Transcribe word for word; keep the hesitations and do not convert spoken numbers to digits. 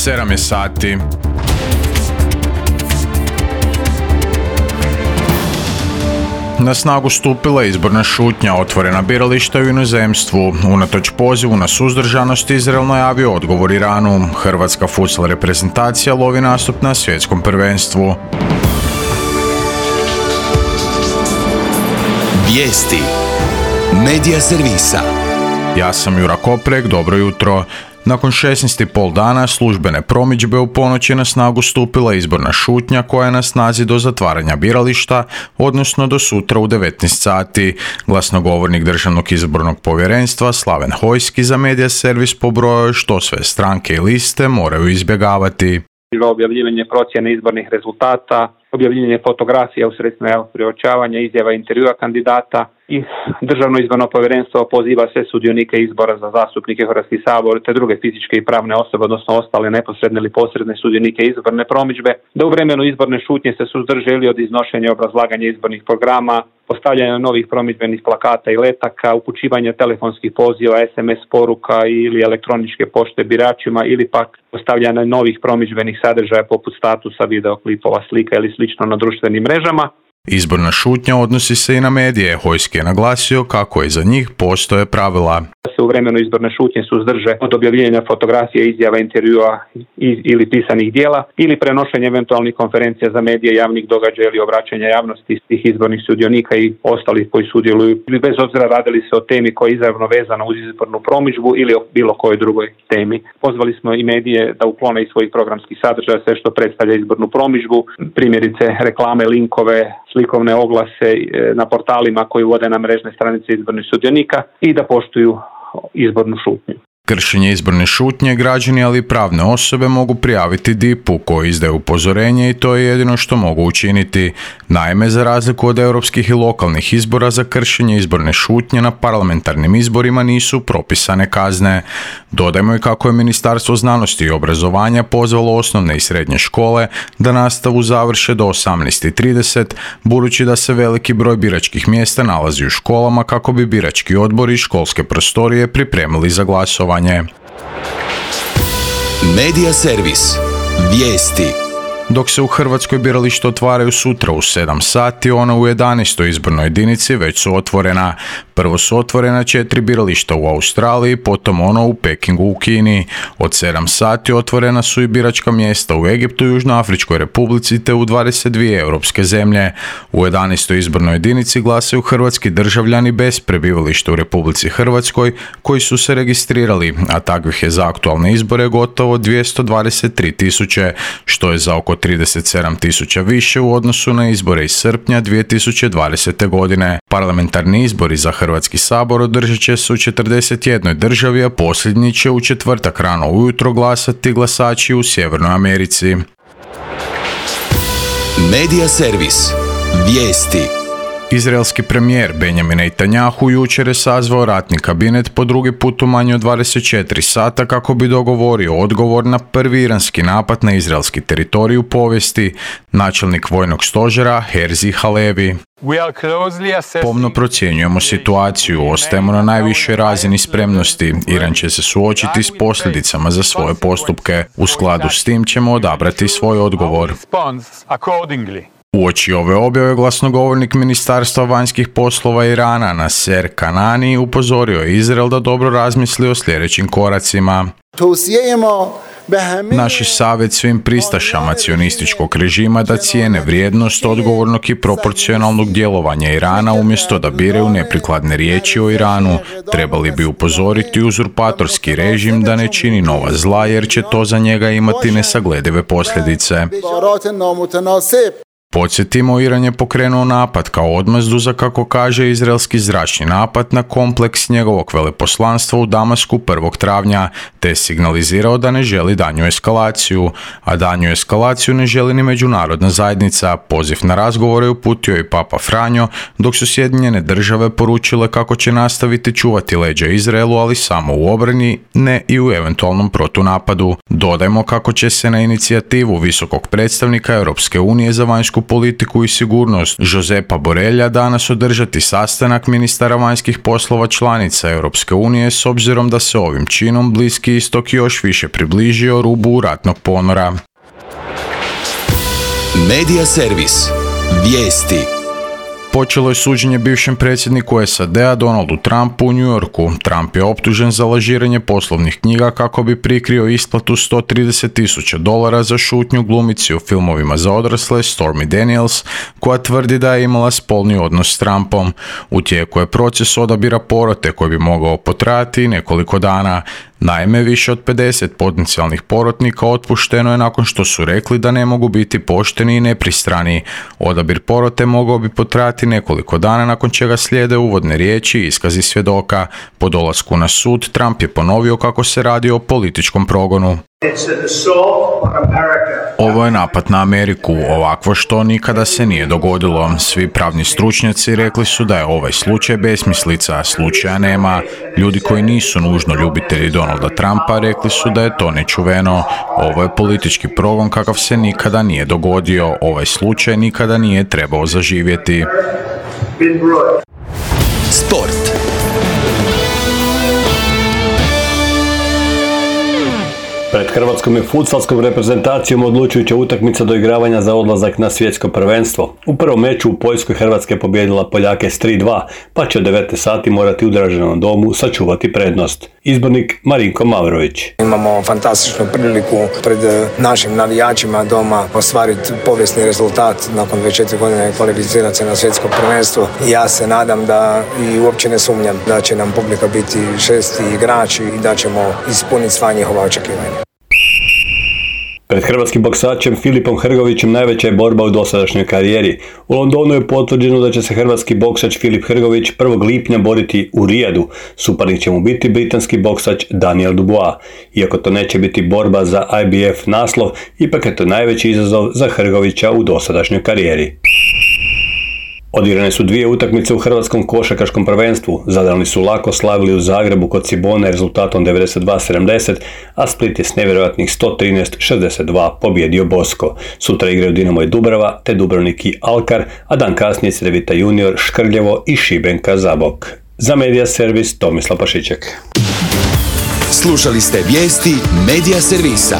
sedam je sati. Na snagu stupila je izborna šutnja, otvorena birališta u inozemstvu. Unatoč pozivu na suzdržanost, Izrael najavio odgovor Iranu. Hrvatska futsal reprezentacija lovi nastup na svjetskom prvenstvu. Vijesti Medija servisa. Ja sam Jura Koprek, dobro jutro. Nakon šesnaest i pol dana službene promidžbe u ponoć je na snagu stupila izborna šutnja koja je na snazi do zatvaranja birališta, odnosno do sutra u devetnaest sati. Glasnogovornik Državnog izbornog povjerenstva Slaven Hojski za Medija servis pobrojao što sve stranke i liste moraju izbjegavati. Objavljivanje procjene izbornih rezultata, objavljivanje fotografija u sredstvima javnog priopćavanja, izjava intervjua kandidata i Državno izborno povjerenstvo poziva sve sudionike izbora za zastupnike Hrvatski sabor te druge fizičke i pravne osobe, odnosno ostale neposredne ili posredne sudionike izborne promidžbe, da u vremenu izborne šutnje se suzdrže ili od iznošenja i obrazlaganja izbornih programa, postavljanja novih promidžbenih plakata i letaka, upućivanja telefonskih poziva, es em es poruka ili elektroničke pošte biračima ili pak postavljanja novih promidžbenih sadržaja poput statusa, videoklipova, slika ili slično na društvenim mrežama. Izborna šutnja odnosi se i na medije. Hojski je naglasio kako i za njih postoje pravila. Se u vremenu izborne šutnje suzdrže od objavljivanja fotografija, izjava, intervjua ili pisanih dijela ili prenošenja eventualnih konferencija za medije, javnih događaja ili obraćanja javnosti svih izbornih sudionika i ostalih koji sudjeluju, bez obzira radili se o temi koja je izravno vezana uz izbornu promidžbu ili o bilo kojoj drugoj temi. Pozvali smo i medije da uklone iz svojih programskih sadržaja sve što predstavlja izbornu promidžbu, primjerice reklame, linkove, slikovne oglase na portalima koji vode na mrežne stranice izbornih sudionika i da poštuju izbornu šutnju. Kršenje izborne šutnje građani, ali i pravne osobe mogu prijaviti D I P-u koji izdaje upozorenje i to je jedino što mogu učiniti. Naime, za razliku od europskih i lokalnih izbora, za kršenje izborne šutnje na parlamentarnim izborima nisu propisane kazne. Dodajmo i kako je Ministarstvo znanosti i obrazovanja pozvalo osnovne i srednje škole da nastavu završe do osamnaest i trideset, budući da se veliki broj biračkih mjesta nalazi u školama kako bi birački odbori i školske prostorije pripremili za glasovanje. Medija servis. Vijesti. Dok se u Hrvatskoj birališta otvaraju sutra u sedam sati, ona u jedanaestoj izbornoj jedinici već su otvorena. Prvo su otvorena četiri birališta u Australiji, potom ono u Pekingu u Kini. Od sedam sati otvorena su i biračka mjesta u Egiptu i Južnoafričkoj Republici te u dvadeset dvije europske zemlje. U jedanaestoj izbornoj jedinici glasaju hrvatski državljani bez prebivališta u Republici Hrvatskoj koji su se registrirali, a takvih je za aktualne izbore gotovo dvjesto dvadeset tri tisuće, što je za oko trideset sedam tisuća više u odnosu na izbore iz srpnja dvije tisuće dvadesete. godine. Parlamentarni izbori za Hrvatski sabor održat će se u četrdeset jednoj državi, a posljednji će u četvrtak rano ujutro glasati glasači u Sjevernoj Americi. Medija servis. Vijesti. Izraelski premijer Benjamin Netanjahu jučer je sazvao ratni kabinet po drugi put u manje od dvadeset četiri sata kako bi dogovorio odgovor na prvi iranski napad na izraelski teritorij u povijesti. Načelnik vojnog stožera Herzi Halevi: pomno procjenjujemo situaciju, ostajemo na najvišoj razini spremnosti. Iran će se suočiti s posljedicama za svoje postupke. U skladu s tim ćemo odabrati svoj odgovor. Uoči ove objave glasnogovornik Ministarstva vanjskih poslova Irana Naser Kanani upozorio je Izrael da dobro razmisli o sljedećim koracima. Naš je savjet svim pristašama cionističkog režima da cijene vrijednost odgovornog i proporcionalnog djelovanja Irana umjesto da biraju neprikladne riječi o Iranu. Trebali bi upozoriti uzurpatorski režim da ne čini nova zla jer će to za njega imati nesagledive posljedice. Podsjetimo, Iran je pokrenuo napad kao odmazdu za, kako kaže, izraelski zračni napad na kompleks njegovog veleposlanstva u Damasku prvog travnja, te je signalizirao da ne želi danju eskalaciju, a danju eskalaciju ne želi ni međunarodna zajednica. Poziv na razgovore uputio i Papa Franjo, dok su Sjedinjene države poručile kako će nastaviti čuvati leđa Izraelu, ali samo u obrani, ne i u eventualnom protunapadu. Dodajmo kako će se na inicijativu visokog predstavnika Europske unije za vanjsku vanjsku politiku i sigurnost Josepa Borrella danas održati sastanak ministara vanjskih poslova članica Europske unije s obzirom da se ovim činom Bliski istok još više približio rubu ratnog ponora. Medija servis. Vijesti. Počelo je suđenje bivšem predsjedniku S A D-a Donaldu Trumpu u New Yorku. Trump je optužen za lažiranje poslovnih knjiga kako bi prikrio isplatu sto trideset tisuća dolara za šutnju glumici u filmovima za odrasle Stormy Daniels, koja tvrdi da je imala spolni odnos s Trumpom. U tijeku je proces odabira porote koji bi mogao potrajati nekoliko dana. Naime, više od pedeset potencijalnih porotnika otpušteno je nakon što su rekli da ne mogu biti pošteni i nepristrani. Odabir porote mogao bi potrajati nekoliko dana, nakon čega slijede uvodne riječi i iskazi svjedoka. Po dolasku na sud, Trump je ponovio kako se radi o političkom progonu. Ovo je napad na Ameriku, ovakvo što nikada se nije dogodilo. Svi pravni stručnjaci rekli su da je ovaj slučaj besmislica, slučaja nema. Ljudi koji nisu nužno ljubitelji Donalda Trumpa rekli su da je to nečuveno. Ovo je politički progon kakav se nikada nije dogodio. Ovaj slučaj nikada nije trebao zaživjeti. Sport. Pred hrvatskom i futsalskom reprezentacijom odlučujuća utakmica do igravanja za odlazak na svjetsko prvenstvo. U prvom meču u Poljskoj Hrvatska je pobijedila Poljake s tri dva, pa će od devetnaest sati morati u Draženom domu sačuvati prednost. Izbornik Marinko Mavrović. Imamo fantastičnu priliku pred našim navijačima doma ostvariti povijesni rezultat nakon dvadeset četiri godine kvalificirati se na svjetsko prvenstvo. Ja se nadam da i uopće ne sumnjam da će nam publika biti šesti igrači i da ćemo ispuniti sva njihova očekivanja. Pred hrvatskim boksačem Filipom Hrgovićem najveća je borba u dosadašnjoj karijeri. U Londonu je potvrđeno da će se hrvatski boksač Filip Hrgović prvog lipnja boriti u Rijadu. Suparnik će mu biti britanski boksač Daniel Dubois. Iako to neće biti borba za I B F naslov, ipak je to najveći izazov za Hrgovića u dosadašnjoj karijeri. Odigrane su dvije utakmice u hrvatskom košarkaškom prvenstvu. Zadrani su lako slavili u Zagrebu kod Cibone rezultatom devedeset dva sedamdeset, a Split je s nevjerojatnih sto trinaest šezdeset dva pobjedio Bosko. Sutra igraju Dinamo i Dubrava, te Dubrovnik i Alkar, a dan kasnije Cedevita Junior, Škrljevo i Šibenka Zabok. Za Medija servis Tomislav Pašiček. Slušali ste vijesti Medija servisa.